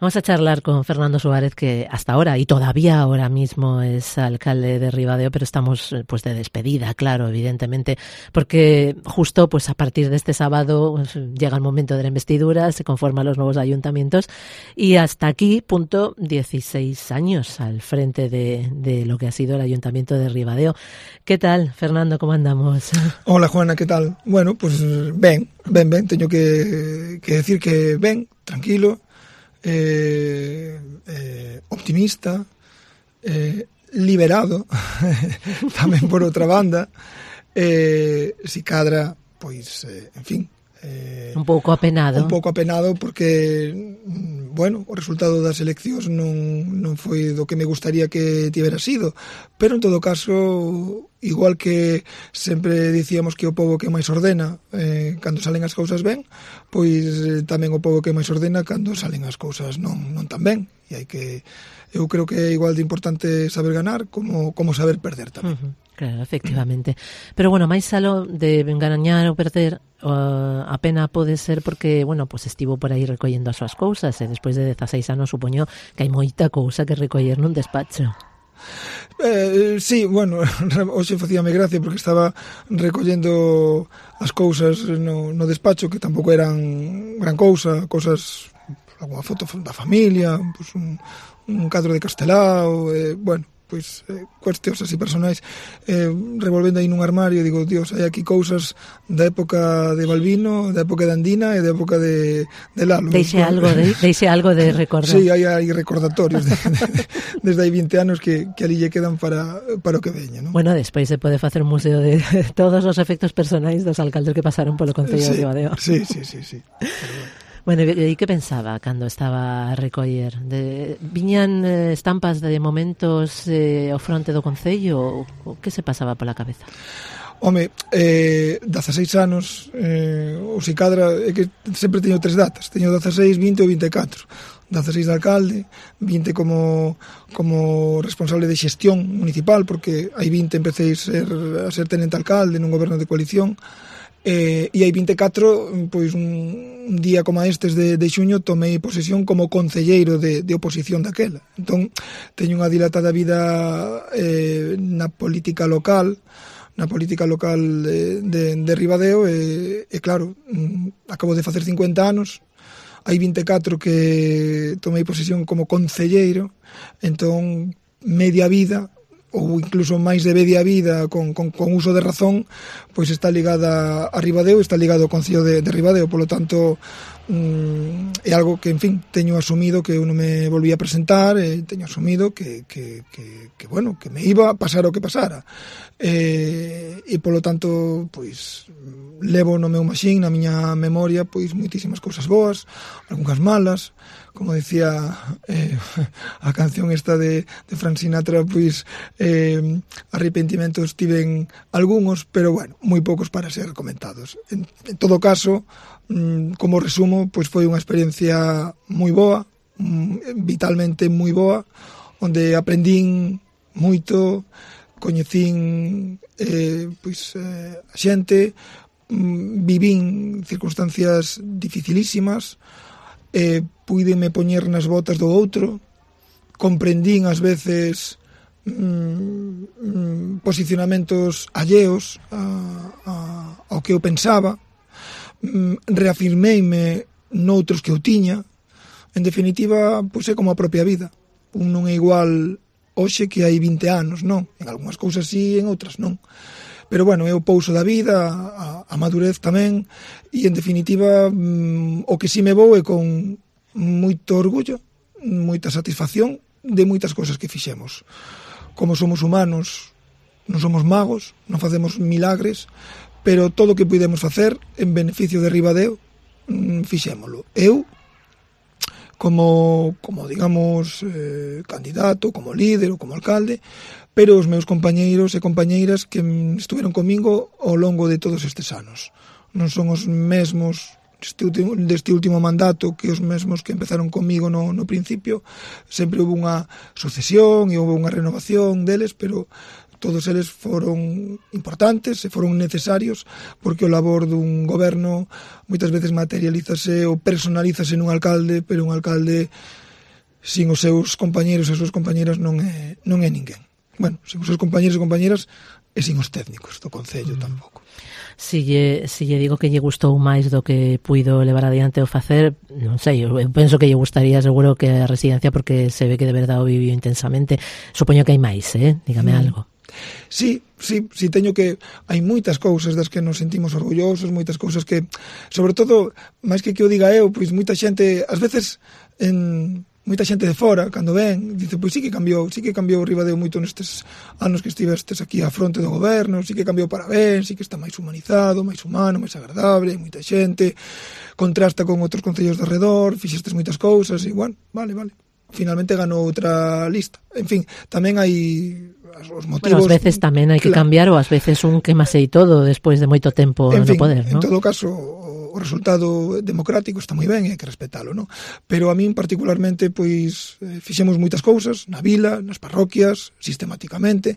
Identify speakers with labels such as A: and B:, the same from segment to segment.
A: Vamos a charlar con Fernando Suárez, que hasta ahora y todavía ahora mismo es alcalde de Ribadeo, pero estamos pues de despedida, claro, evidentemente, porque justo pues a partir de este sábado pues, llega el momento de la investidura, se conforman los nuevos ayuntamientos y hasta aquí, punto, 16 años al frente de lo que ha sido el ayuntamiento de Ribadeo. ¿Qué tal, Fernando? ¿Cómo andamos?
B: Hola, Juana, ¿qué tal? Bueno, pues ben, teño que decir que ben, tranquilo, optimista, liberado tamén por outra banda, si cadra, pois, en fin,
A: un pouco apenado
B: porque, bueno, o resultado das eleccións non foi do que me gustaría que tivera sido, pero en todo caso, igual que sempre dicíamos que o pobo que máis ordena cando salen as cousas ben, pois tamén o pobo que máis ordena cando salen as cousas non tan ben, e hai que, eu creo que é igual de importante saber ganar como saber perder tamén.
A: Claro, efectivamente. Pero bueno, máis aló de gañar ou perder, a pena pode ser porque, bueno, pues estivo por aí recollendo as súas cousas e despois de 16 anos supoño que hai moita cousa que recoller nun despacho.
B: Sí, bueno, hoxe facíame gracia porque estaba recollendo as cousas no despacho, que tampouco eran gran cousa, cousas, alguna foto da familia, pues un cadro de Castelao, bueno, pois cuestións así personais, revolvendo aí nun armario, digo, Dios, hai aquí cousas da época de Balbino, da época de Andina e da época de Lalo.
A: Deixe algo de recordar.
B: Sí, hai recordatorios desde hai 20 anos que ali lle quedan para o que veña, non?
A: Bueno, despois se pode facer un museo de todos os efectos personais dos alcaldes que pasaron polo Concello de Ribadeo.
B: Sí. Pero
A: bueno, e que pensaba cando estaba a recoller? Viñan estampas de momentos ao fronte do Concello? O que se pasaba pola cabeza?
B: Home, 16 anos, o si cadra, é que sempre teño 3 datas, teño 16, 20 ou 24. 16 de alcalde, 20 como responsable de xestión municipal, porque hai 20 empecé a ser tenente alcalde nun goberno de coalición, e hai 24, pois un día como estes de xuño tomei posesión como concelleiro de oposición daquela. Entón, teño unha dilatada vida na política local de Ribadeo e claro, acabo de facer 50 anos, hai 24 que tomei posesión como concelleiro, entón media vida ou incluso máis de media vida con uso de razón, pois está ligada a Ribadeo, está ligado ao Concello de Ribadeo, polo tanto é algo que, en fin, teño asumido que eu non me volví a presentar, e teño asumido que bueno, que me iba a pasar o que pasara, e polo tanto, pois levo no meu maxín, na miña memoria, pois moitísimas cousas boas, algunhas malas, como decía a canción esta de Frank Sinatra, pois arrepentimentos tiven algúns, pero bueno, moi poucos para ser comentados. En todo caso, como resumo, pois foi unha experiencia moi boa, vitalmente moi boa, onde aprendín moito, coñecín a xente, vivín circunstancias dificilísimas, puideme poñer nas botas do outro, comprendín ás veces posicionamentos alleos ao que eu pensaba, reafirmeime noutros que eu tiña. En definitiva, pois é como a propia vida, un non é igual hoxe que hai 20 anos, non? En algunhas cousas sí, en outras non. Pero bueno, é o pouso da vida, a madurez tamén, e en definitiva o que si me vou é con moito orgullo, moita satisfacción de moitas cousas que fixemos. Como somos humanos, non somos magos, non facemos milagres, pero todo o que puidemos facer en beneficio de Ribadeo, fixémolo. Eu, como digamos, candidato, como líder ou como alcalde, pero os meus compañeiros e compañeiras que estuveron comigo ao longo de todos estes anos. Non son os mesmos deste último mandato que os mesmos que empezaron comigo no principio. Sempre houve unha sucesión e houve unha renovación deles, pero todos eles foron importantes e foron necesarios, porque o labor dun goberno moitas veces materialízase ou personalízase nun alcalde, pero un alcalde sin os seus compañeiros e as súas compañeiras non é ninguén. Bueno, sin os seus compañeiros e compañeiras e sin os técnicos do Concello tampouco.
A: Si lle digo que lle gustou máis do que puido levar adiante o facer, non sei, eu penso que lle gustaría seguro que a residencia, porque se ve que de verdade o viviu intensamente. Supoño que hai máis, dígame algo.
B: Sí, teño que hai moitas cousas das que nos sentimos orgullosos, moitas cousas que, sobre todo, máis que o diga eu, pois moita xente, ás veces moita xente de fora, cando ven, dice, pois sí que cambiou o Ribadeo moito nestes anos que estivestes aquí á fronte do goberno, sí que cambiou para ben, sí que está máis humanizado, máis humano, máis agradable, hai moita xente, contrasta con outros concellos de arredor, fixestes moitas cousas, e, bueno, vale, finalmente ganou outra lista. En fin, tamén hai os motivos...
A: Bueno, ás veces tamén hai que cambiar, ou ás veces un quemasei todo despois de moito tempo no poder, non?
B: En todo caso, o resultado democrático está moi ben e hai que respetalo, non? Pero a min particularmente, pois, fixemos moitas cousas na vila, nas parroquias, sistemáticamente,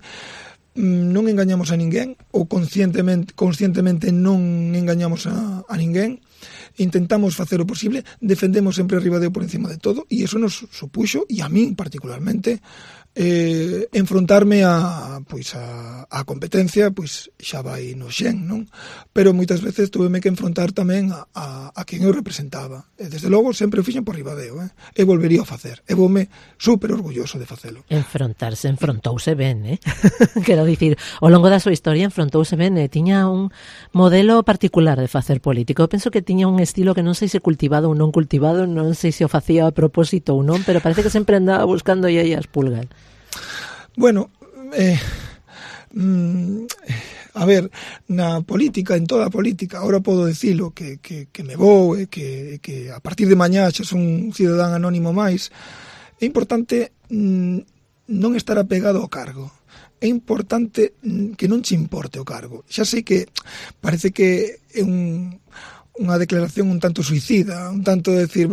B: non engañamos a ninguén, ou conscientemente non engañamos a ninguén, intentamos facer o posible, defendemos sempre a Ribadeo por encima de todo, e iso nos supuxo, e a min particularmente, enfrontarme a competencia, pois xa vai no xen, non? Pero moitas veces tuveme que enfrontar tamén a quen eu representaba. E desde logo sempre o fixen por Ribadeo, e volvería a facer. E voume super orgulloso de facelo.
A: Enfrontouse ben, Quero dicir, ao longo da súa historia enfrontouse ben, tiña un modelo particular de facer político. Eu penso que tiña un estilo que non sei se cultivado ou non cultivado, non sei se o facía a propósito ou non, pero parece que sempre andaba buscando aí as pulgas.
B: Bueno, a ver, na política, en toda a política, ahora podo dicilo que me vou e que a partir de mañá xa son un cidadán anónimo máis. É importante non estar apegado ao cargo. É importante que non che importe o cargo. Xa sei que parece que é unha declaración un tanto suicida, un tanto de decir,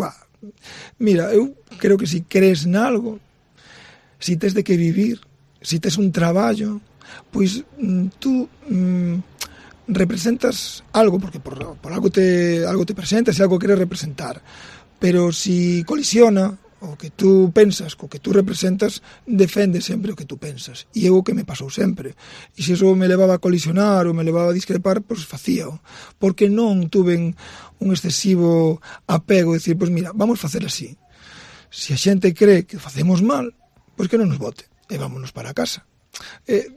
B: mira, eu creo que si crees nalgo, si tes de que vivir, si tes un traballo, pois tú representas algo, porque por algo te presentas e algo queres representar. Pero si colisiona o que tú pensas co que tú representas, defende sempre o que tú pensas. E é o que me pasou sempre. E se iso me levaba a colisionar ou me levaba a discrepar, pois facíao. Porque non tuve un excesivo apego de decir, pois mira, vamos facer así. Se a xente cree que facemos mal, pois que non nos vote e vámonos para casa.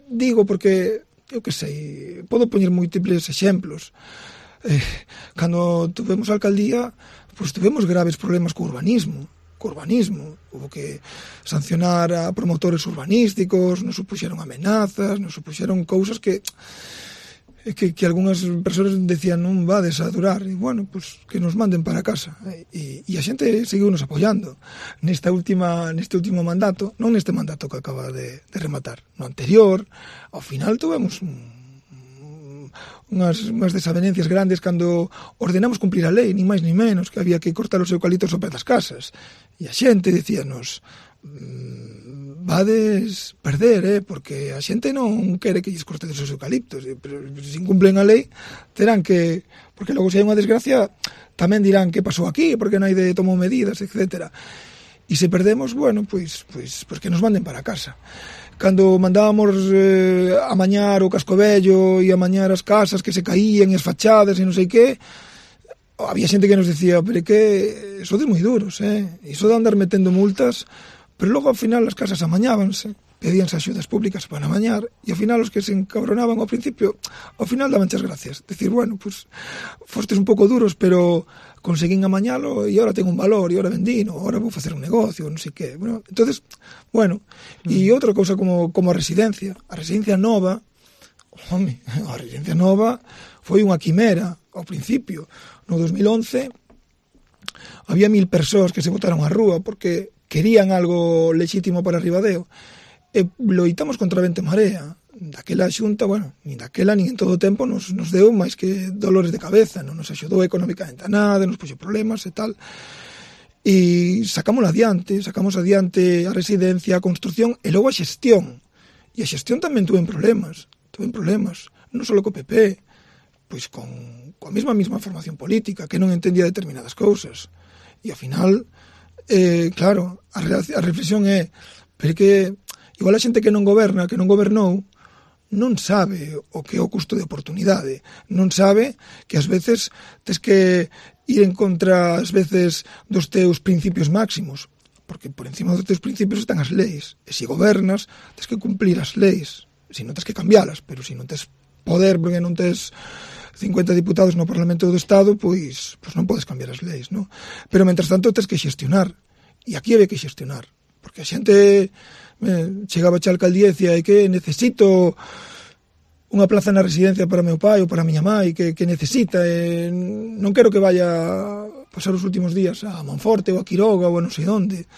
B: Digo porque, eu que sei, podo poñer múltiples exemplos. Cando tuvemos a alcaldía, pois tuvemos graves problemas co urbanismo. Hubo que sancionar a promotores urbanísticos, nos supuxeron amenazas, nos supuxeron cousas que algunhas persoas decían non vades a durar, e bueno, pues que nos manden para casa, e a xente seguiu nos apoiando neste último mandato, non neste mandato que acaba de rematar, no anterior. Ao final tuvemos unhas desavenencias grandes cando ordenamos cumplir a lei, ni máis ni menos, que había que cortar os eucaliptos ao pé das casas, e a xente dicíanos vades perder, porque a xente non quere que lles cortedes os eucaliptos, pero se incumplen a lei terán que, porque logo se hai unha desgracia tamén dirán que pasou aquí, porque non hai de tomou medidas, etcétera. E se perdemos, bueno, pois que nos manden para casa. Cando mandábamos amañar o casco vello e amañar as casas que se caían e as fachadas e non sei que, había xente que nos decía, pero que sodes moi duros, iso de andar metendo multas. Pero logo, ao final, as casas amañábanse, pedíanse axudas públicas para amañar, e ao final os que se encabronaban ao principio, ao final daban as gracias. Decir, bueno, pues fostes un pouco duros, pero conseguín amañalo e ahora tengo un valor, e ahora vendino, ahora vou facer un negocio, non sei que. Bueno, entonces, bueno, e outra cousa como a residencia. A residencia nova, a residencia nova foi unha quimera ao principio. No 2011 había 1000 persoas que se botaron á rúa porque querían algo lexítimo para Ribadeo, e loitamos contra vento e marea. Daquela xunta, bueno, nin daquela nin en todo o tempo nos deu máis que dolores de cabeza, non nos axudou económicamente a nada, nos puxo problemas e tal, e sacamos adiante a residencia, a construción e logo a xestión. E a xestión tamén tuve problemas, non só co PP, pois con a mesma formación política, que non entendía determinadas cousas, e ao final claro, a reflexión é, pero que igual a xente que non goberna, que non gobernou, non sabe o que é o custo de oportunidade, non sabe que ás veces tes que ir en contra ás veces dos teus principios máximos, porque por encima dos teus principios están as leis, e se gobernas tes que cumplir as leis, se non tes que cambialas, pero se non tes poder porque non tes 50 diputados no Parlamento do Estado, pois non podes cambiar as leis, non? Pero mentras tanto tes que xestionar, e aquí hai que xestionar, porque a xente chegaba a alcaldía e dicía que necesito unha plaza na residencia para meu pai ou para a miña mãe, que necesita, non quero que vaya a pasar os últimos días a Monforte ou a Quiroga ou a non sei onde,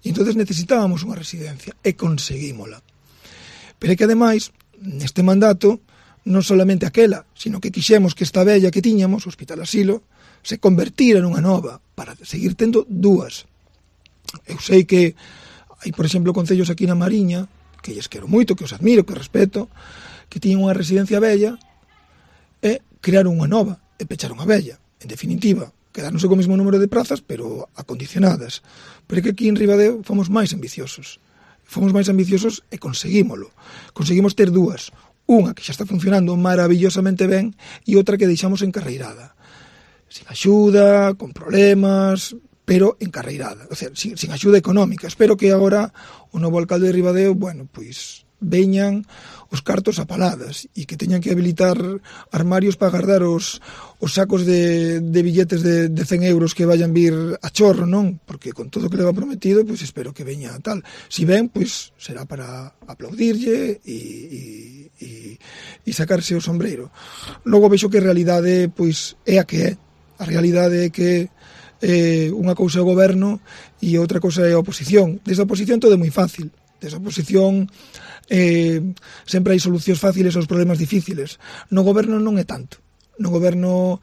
B: e entonces necesitábamos unha residencia e conseguímola. Pero é que ademais neste mandato non solamente aquela, sino que quixemos que esta vella que tiñamos, o Hospital Asilo, se convertira nunha nova para seguir tendo dúas. Eu sei que hai, por exemplo, concellos aquí na Mariña, que lles quero moito, que os admiro, que os respeto, que tiñen unha residencia vella e crearon unha nova e pecharon a vella. En definitiva, quedáronse co mesmo número de prazas, pero acondicionadas. Pero é que aquí en Ribadeo fomos máis ambiciosos. Fomos máis ambiciosos e conseguímolo. Conseguimos ter dúas. Unha que xa está funcionando maravillosamente ben e outra que deixamos encarreirada. Sin axuda, con problemas, pero encarreirada, o sea, sin axuda económica. Espero que agora o novo alcalde de Ribadeo, pois veñan os cartos a paladas e que teñan que habilitar armarios para guardar os sacos de billetes de 100 euros que vayan vir a chorro, non? Porque con todo o que leva prometido, pois espero que veña tal. Si ven, pois será para aplaudirlle e sacarse o sombreiro. Logo vexo que a realidade pois é a que é. A realidade é que unha cousa é o goberno e outra cousa é a oposición. Desde a oposición todo é moi fácil. Desde a oposición sempre hai solucións fáciles aos problemas difíciles. No goberno non é tanto. No goberno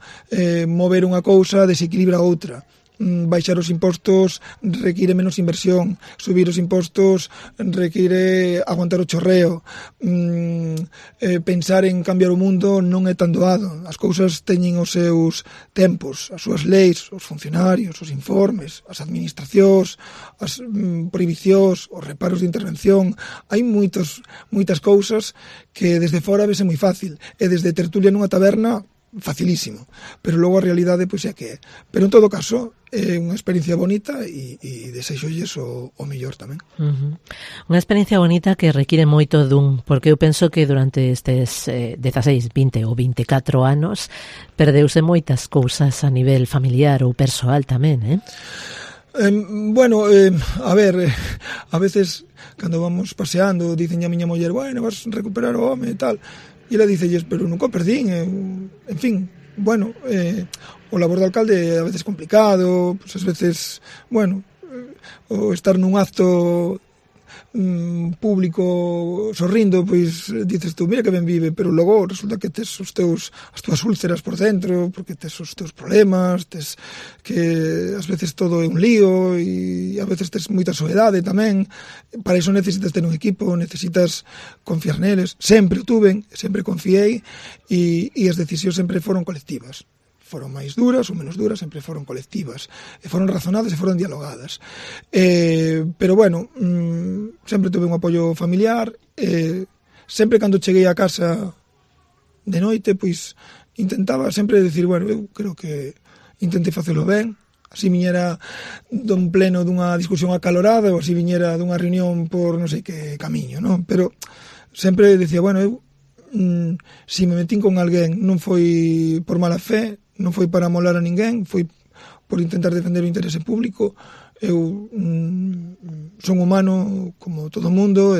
B: mover unha cousa desequilibra outra. Baixar os impostos require menos inversión, subir os impostos require aguantar o chorreo, pensar en cambiar o mundo non é tan doado. As cousas teñen os seus tempos, as súas leis, os funcionarios, os informes, as administracións, as prohibicións, os reparos de intervención. Hai moitas cousas que desde fora vese moi fácil e desde tertulia nunha taberna facilísimo, pero logo a realidade pois é que é. Pero en todo caso é unha experiencia bonita e desexolles o mellor tamén.
A: Unha experiencia bonita que require moito dun, porque eu penso que durante estes 16, 20 ou 24 anos perdeuse moitas cousas a nivel familiar ou persoal tamén,
B: a ver, a veces cando vamos paseando dicen a miña muller, bueno, vas a recuperar o home e tal. E ela dicelles, pero nunca perdín, en fin, o labor de alcalde a veces complicado, pues ás veces, o estar nun acto público sorrindo, pois dices tú, mira que ben vive, pero logo resulta que tes as túas úlceras por dentro, porque tes os teus problemas, tes que ás veces todo é un lío e a veces tes moita soedade tamén. Para iso necesitas ter un equipo, necesitas confiar neles. Sempre o tuven, sempre confiei e as decisións sempre foron colectivas. Foron máis duras ou menos duras, sempre foron colectivas, e foron razonadas e foron dialogadas. Pero sempre tuve un apoio familiar, sempre cando cheguei a casa de noite, pois intentaba sempre decir, eu creo que intentei facelo ben, así viñera dun pleno dunha discusión acalorada ou así viñera dunha reunión por non sei que camiño, non? Pero sempre decía, se me metín con alguén non foi por mala fe, non foi para molar a ninguén, foi por intentar defender o interese público. Eu son humano como todo o mundo,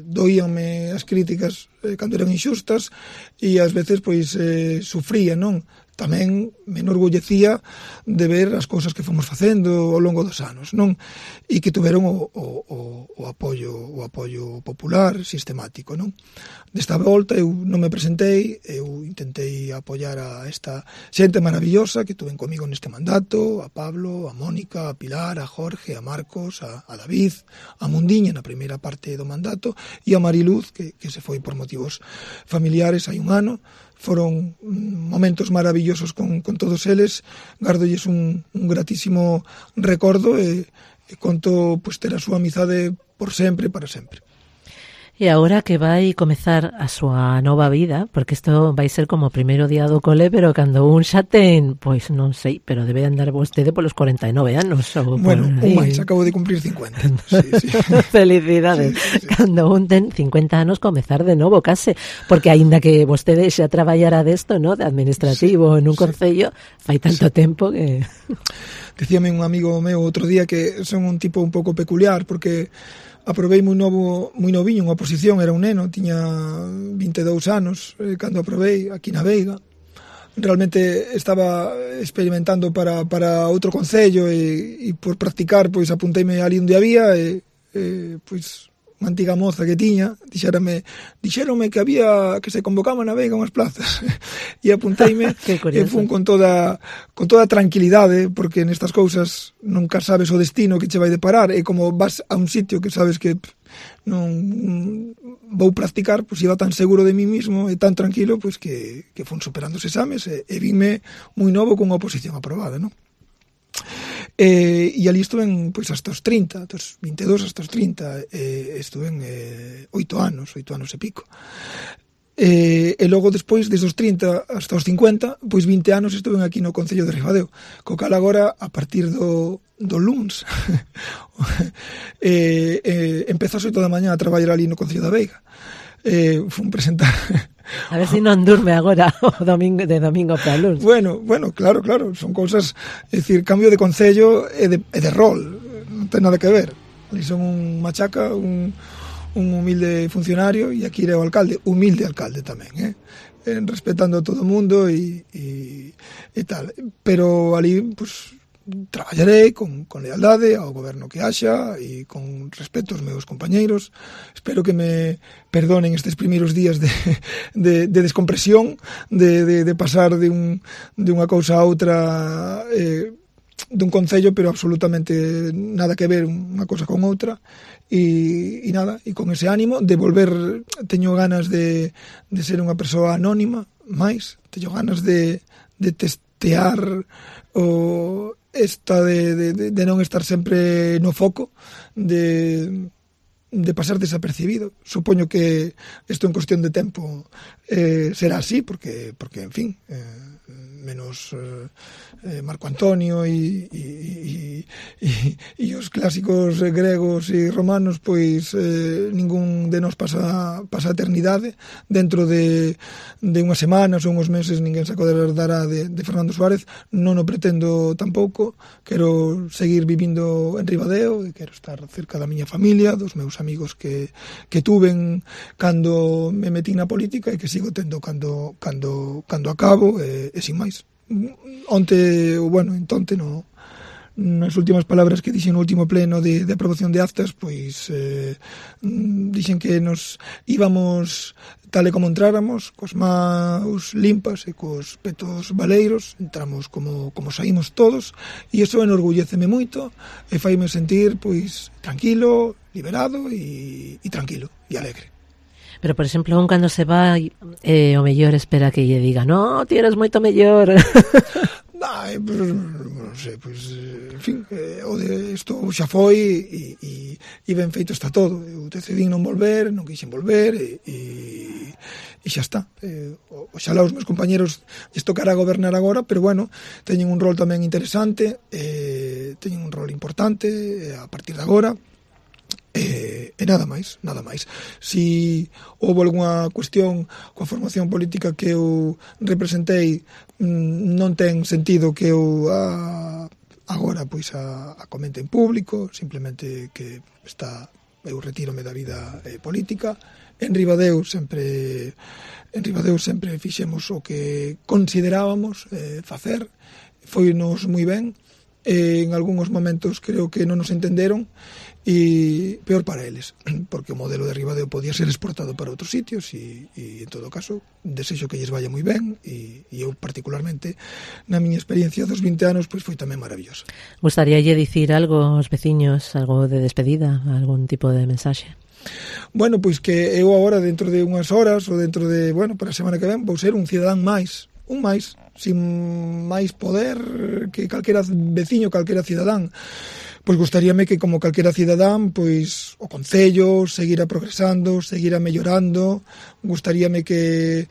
B: doíanme as críticas cando eran inxustas e ás veces sufría, non? Tamén me enorgullecía de ver as cousas que fomos facendo ao longo dos anos, non? E que tuveron o apoio popular sistemático, non? Desta volta eu non me presentei, eu intentei apoiar a esta xente maravillosa que tuven comigo neste mandato, a Pablo, a Mónica, a Pilar, a Jorge, a Marcos, a David, a Mundiña na primeira parte do mandato e a Mariluz, que se foi por motivos familiares hai un ano. foron momentos maravillosos con todos eles, gardolles un gratísimo recordo e conto pois ter a súa amizade por sempre, para sempre.
A: E agora que vai comezar a súa nova vida, porque isto vai ser como o primeiro día do cole, pero cando un xa ten, pois non sei, pero debe andar vostede polos 49 anos. Ou
B: bueno, un máis, acabo de cumplir 50. Sí, sí.
A: Felicidades. Sí, sí, sí. Cando un ten 50 anos, comezar de novo, case, porque aínda que vostede xa traballara desto, ¿no?, de administrativo en un concello, fai tanto tempo que...
B: Decíame un amigo meu outro día que son un tipo un pouco peculiar, porque aprobei moi noviño unha oposición, era un neno, tiña 22 anos cando aprobei aquí na Veiga. Realmente estaba experimentando para outro concello e por practicar, pois apunteime ali onde había e pois unha antiga moza que tiña, dixéronme que había, que se convocaban na Veiga unhas plazas e apunteime e fun con toda tranquilidade, porque nestas cousas nunca sabes o destino que che vai deparar, e como vas a un sitio que sabes que non vou practicar, pois iba tan seguro de mí mismo e tan tranquilo, pois que fun superando os exames e vime moi novo con unha oposición aprobada, non? E ali estuve pois hasta os 30, dos 22 hasta os 30, estuve 8 anos e pico. E logo despois, desde os 30 hasta os 50, pois 20 anos estuve aquí no Concello de Ribadeo, co cal agora, a partir do luns, empezó as 8 da mañá a traballar ali no Concello da Veiga. Fun presentar...
A: A ver se non durme agora o domingo, de domingo para luns.
B: Bueno, claro, son cousas, é dicir, cambio de concello e de rol, non ten nada que ver. Ali son un machaca, un humilde funcionario, e aquí era o alcalde, humilde alcalde tamén, respetando a todo o mundo e tal. Pero ali, pues, traballarei con lealdade ao goberno que haxa e con respeto aos meus compañeiros. Espero que me perdonen estes primeiros días de descompresión, de pasar de unha cousa a outra, dun concello, pero absolutamente nada que ver unha cousa con outra, e nada, e con ese ánimo de volver. Teño ganas de ser unha persoa anónima, máis teño ganas de testear o esta de non estar sempre no foco, de pasar desapercibido. Supoño que isto en cuestión de tempo será así, porque en fin, menos Marco Antonio e os clásicos gregos e romanos, pois ningún de nós pasa a eternidade. Dentro de unhas semanas ou uns meses ninguén se acordará de Fernando Suárez. Non o pretendo tampouco. Quero seguir vivindo en Ribadeo e quero estar cerca da miña familia, dos meus amigos que tuven cando me metín na política e que sigo tendo cando acabo, e sin máis. Nas últimas palabras que dixen no último pleno de aprobación de actas, pois dixen que nos íbamos tal e como entráramos, cos maus limpas e cos petos baleiros, entramos como saímos todos, e iso enorgulléceme moito e faime sentir pois tranquilo, liberado e tranquilo e alegre.
A: Pero, por exemplo, un cando se vai, o mellor espera que lle diga, no, ti eres moito mellor.
B: Non sei, pois, en fin, isto xa foi e ben feito está todo. Eu decidí non volver, non quixen volver e xa está. Oxalá os meus compañeros lles tocará gobernar agora, pero bueno, teñen un rol tamén interesante, teñen un rol importante a partir de agora. E nada máis. Si houve algunha cuestión coa formación política que eu representei, non ten sentido que eu agora pois a comente en público, simplemente que eu retírome da vida política. En Ribadeo sempre fixemos o que considerábamos facer, foinos moi ben, en algúns momentos creo que non nos entenderon, e peor para eles, porque o modelo de Ribadeo podía ser exportado para outros sitios e en todo caso desexo que lles vaya moi ben e eu particularmente na miña experiencia dos 20 anos pois foi tamén maravillosa.
A: Gustaríalle dicir algo aos veciños, algo de despedida, algún tipo de mensaxe?
B: Bueno, pois que eu agora dentro de unhas horas ou dentro de, para a semana que ven vou ser un cidadán máis, sin máis poder que calquera veciño, calquera cidadán. Pois gustaríame que como calquera cidadán, pois o concello seguira progresando, seguira mellorando, gustaríame que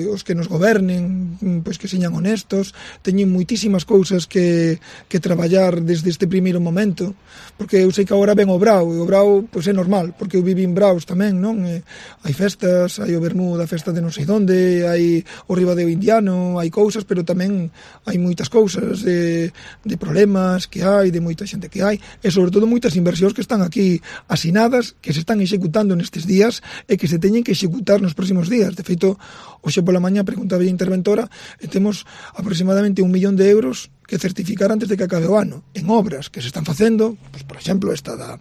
B: os que nos gobernen, pois que señan honestos, teñen moitísimas cousas que traballar desde este primeiro momento, porque eu sei que agora ven o Brao, e o Brao pois é normal, porque eu vivi en Braos tamén, non? Hai festas, hai o Bermú da festa de non sei onde, hai o Ribadeo indiano, hai cousas, pero tamén hai moitas cousas de problemas que hai, de moita xente que hai, e sobre todo moitas inversións que están aquí asinadas, que se están executando nestes días e que se teñen que executar nos próximos días. De feito, hoxe pola mañá preguntaba a interventora e temos aproximadamente 1 millón de euros que certificar antes de que acabe o ano en obras que se están facendo, pois, por exemplo, esta da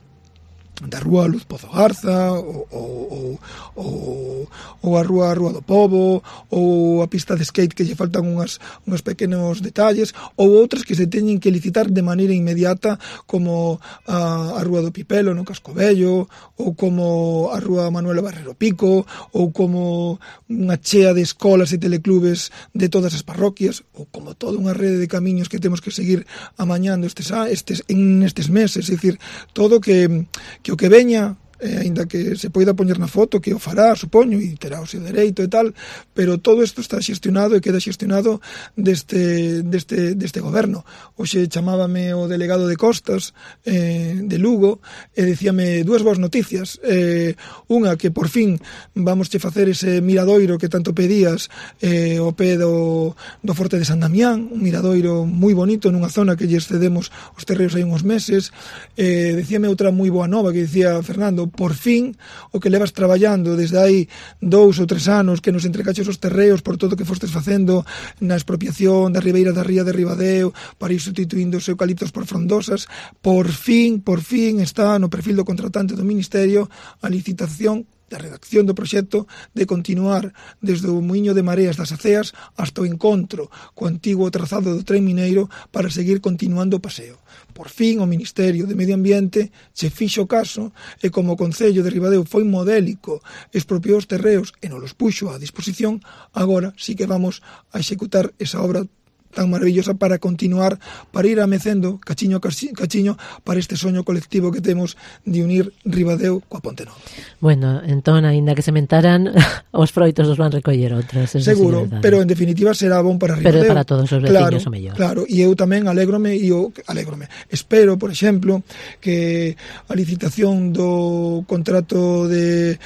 B: Rúa Luz Pozo Garza ou a Rúa do Pobo ou a pista de skate que lle faltan uns pequenos detalles ou outras que se teñen que licitar de maneira inmediata como a Rúa do Pipelo no Cascovello ou como a Rúa Manuela Barrero Pico ou como unha chea de escolas e teleclubes de todas as parroquias ou como toda unha rede de camiños que temos que seguir amañando nestes meses, é dicir, todo que o que veña, aínda que se poida poñer na foto, que o fará, supoño, e terá o seu dereito e tal, pero todo isto está xestionado e queda xestionado deste goberno. Hoxe chamábame o delegado de Costas de Lugo e dicíame dúas boas noticias, unha que por fin vamos che facer ese miradoiro que tanto pedías ao pé do Forte de San Damián, un miradoiro moi bonito nunha zona que lle cedemos os terreos hai uns meses. Dicíame outra moi boa nova que dicía Fernando, por fin o que levas traballando desde hai 2 ou 3 anos que nos entrecaches os terreos por todo o que fostes facendo na expropiación da ribeira da ría de Ribadeo para ir sustituindo os eucaliptos por frondosas, por fin está no perfil do contratante do Ministerio a licitación da redacción do proxecto de continuar desde o Muiño de Mareas das Aceas hasta o encontro co antigo trazado do tren mineiro para seguir continuando o paseo. Por fin o Ministerio de Medio Ambiente se fixo caso e como o Concello de Ribadeo foi modélico, expropiou os terreos e nos los puxo a disposición, agora sí que vamos a executar esa obra tan maravillosa para continuar, para ir amecendo cachiño para este soño colectivo que temos de unir Ribadeo coa Ponte Nova.
A: Bueno, entón, aínda que sementaran, os froitos os van recoller outros.
B: Seguro, pero en definitiva será bon para Ribadeo.
A: Pero para todos os veciños o mellor.
B: Claro, e eu tamén alégrome. Espero, por exemplo, que a licitación do contrato de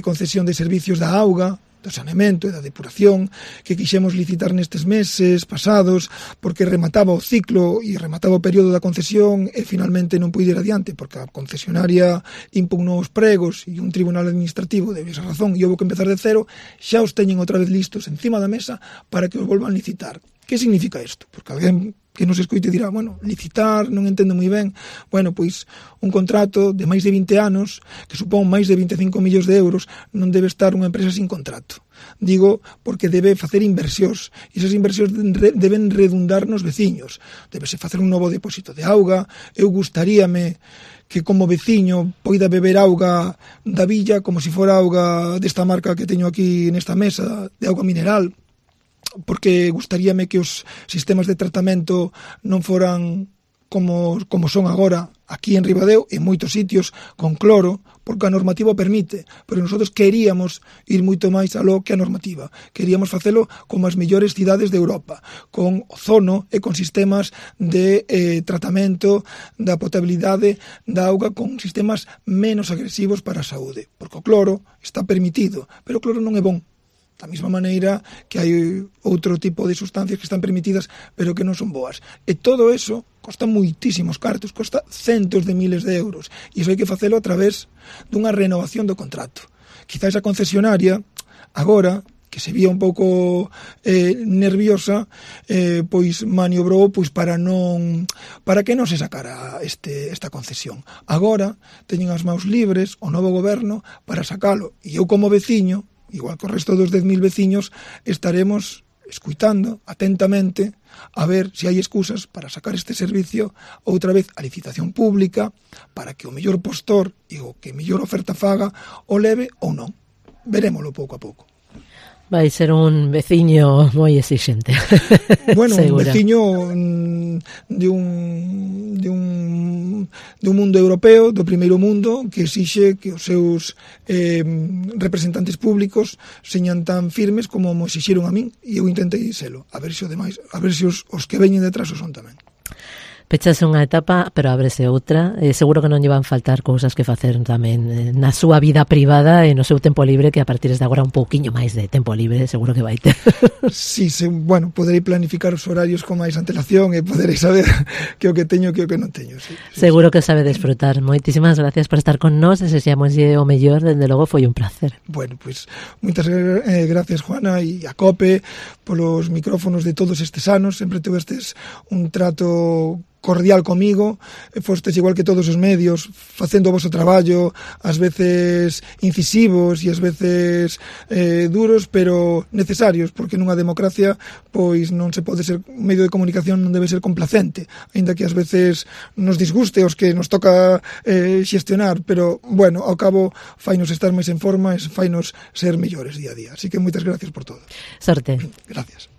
B: concesión de servicios da auga, do saneamento e da depuración que quixemos licitar nestes meses pasados porque remataba o ciclo e remataba o período da concesión e finalmente non puide ir adiante porque a concesionaria impugnou os pregos e un tribunal administrativo deu esa razón e houve que empezar de cero, xa os teñen outra vez listos encima da mesa para que os volvan a licitar. Que significa isto? Porque alguén que nos escoite dirá, licitar, non entendo moi ben. Pois un contrato de máis de 20 anos, que supón máis de 25 millóns de euros, non debe estar unha empresa sin contrato. Digo porque debe facer inversións, e esas inversións deben redundar nos veciños. Debese facer un novo depósito de auga. Eu gustaríame que como veciño poida beber auga da villa como se fora auga desta marca que teño aquí nesta mesa, de auga mineral, porque gustaríame que os sistemas de tratamento non foran como son agora aquí en Ribadeo, en moitos sitios, con cloro, porque a normativa o permite, pero nosotros queríamos ir moito máis aló que a normativa. Queríamos facelo como as mellores cidades de Europa, con ozono e con sistemas de tratamento da potabilidade da auga, con sistemas menos agresivos para a saúde, porque o cloro está permitido, pero o cloro non é bon. Da mesma maneira que hai outro tipo de sustancias que están permitidas pero que non son boas. E todo eso costa moitísimos cartos, costa centos de miles de euros. E iso hai que facelo a través dunha renovación do contrato. Quizás a concesionaria agora que se vía un pouco nerviosa, pois maniobrou pois para que non se sacara esta concesión. Agora teñen as maus libres o novo goberno para sacalo, e eu como veciño, igual que o resto dos 10.000 veciños, estaremos escuitando atentamente a ver se hai excusas para sacar este servicio outra vez a licitación pública para que o mellor postor e o que mellor oferta faga o leve ou non. Verémolo pouco a pouco.
A: Vai ser un veciño moi exixente.
B: Bueno, un
A: segura.
B: veciño de un mundo europeo, do primeiro mundo, que exixe que os seus representantes públicos señan tan firmes como mo exixeron a min, e eu intentei selo, a ver se os que veñen detrás o son tamén.
A: Pechase unha etapa, pero ábrese outra. Seguro que non lle van faltar cousas que facer tamén na súa vida privada e no seu tempo libre, que a partir de agora un pouquiño máis de tempo libre, seguro que vai ter.
B: Sí, bueno, poderei planificar os horarios con máis antelación e poderei saber que o que teño que o que non teño. Sí,
A: seguro que sabe desfrutar. Moitísimas gracias por estar con nós, desexamoslle o mellor, dende logo foi un placer.
B: Bueno, pues moitas gracias, Juana, e a COPE polos micrófonos de todos estes anos, sempre tuvestes un trato cordial comigo, fostes igual que todos os medios, facendo o vosso traballo, ás veces incisivos e ás veces duros, pero necesarios, porque nunha democracia pois non se pode ser, un medio de comunicación non debe ser complacente, aínda que ás veces nos disguste os que nos toca xestionar, pero bueno, ao cabo fainos estar máis en forma e fainos ser mellores día a día. Así que moitas gracias por todo.
A: Sorte.
B: Gracias.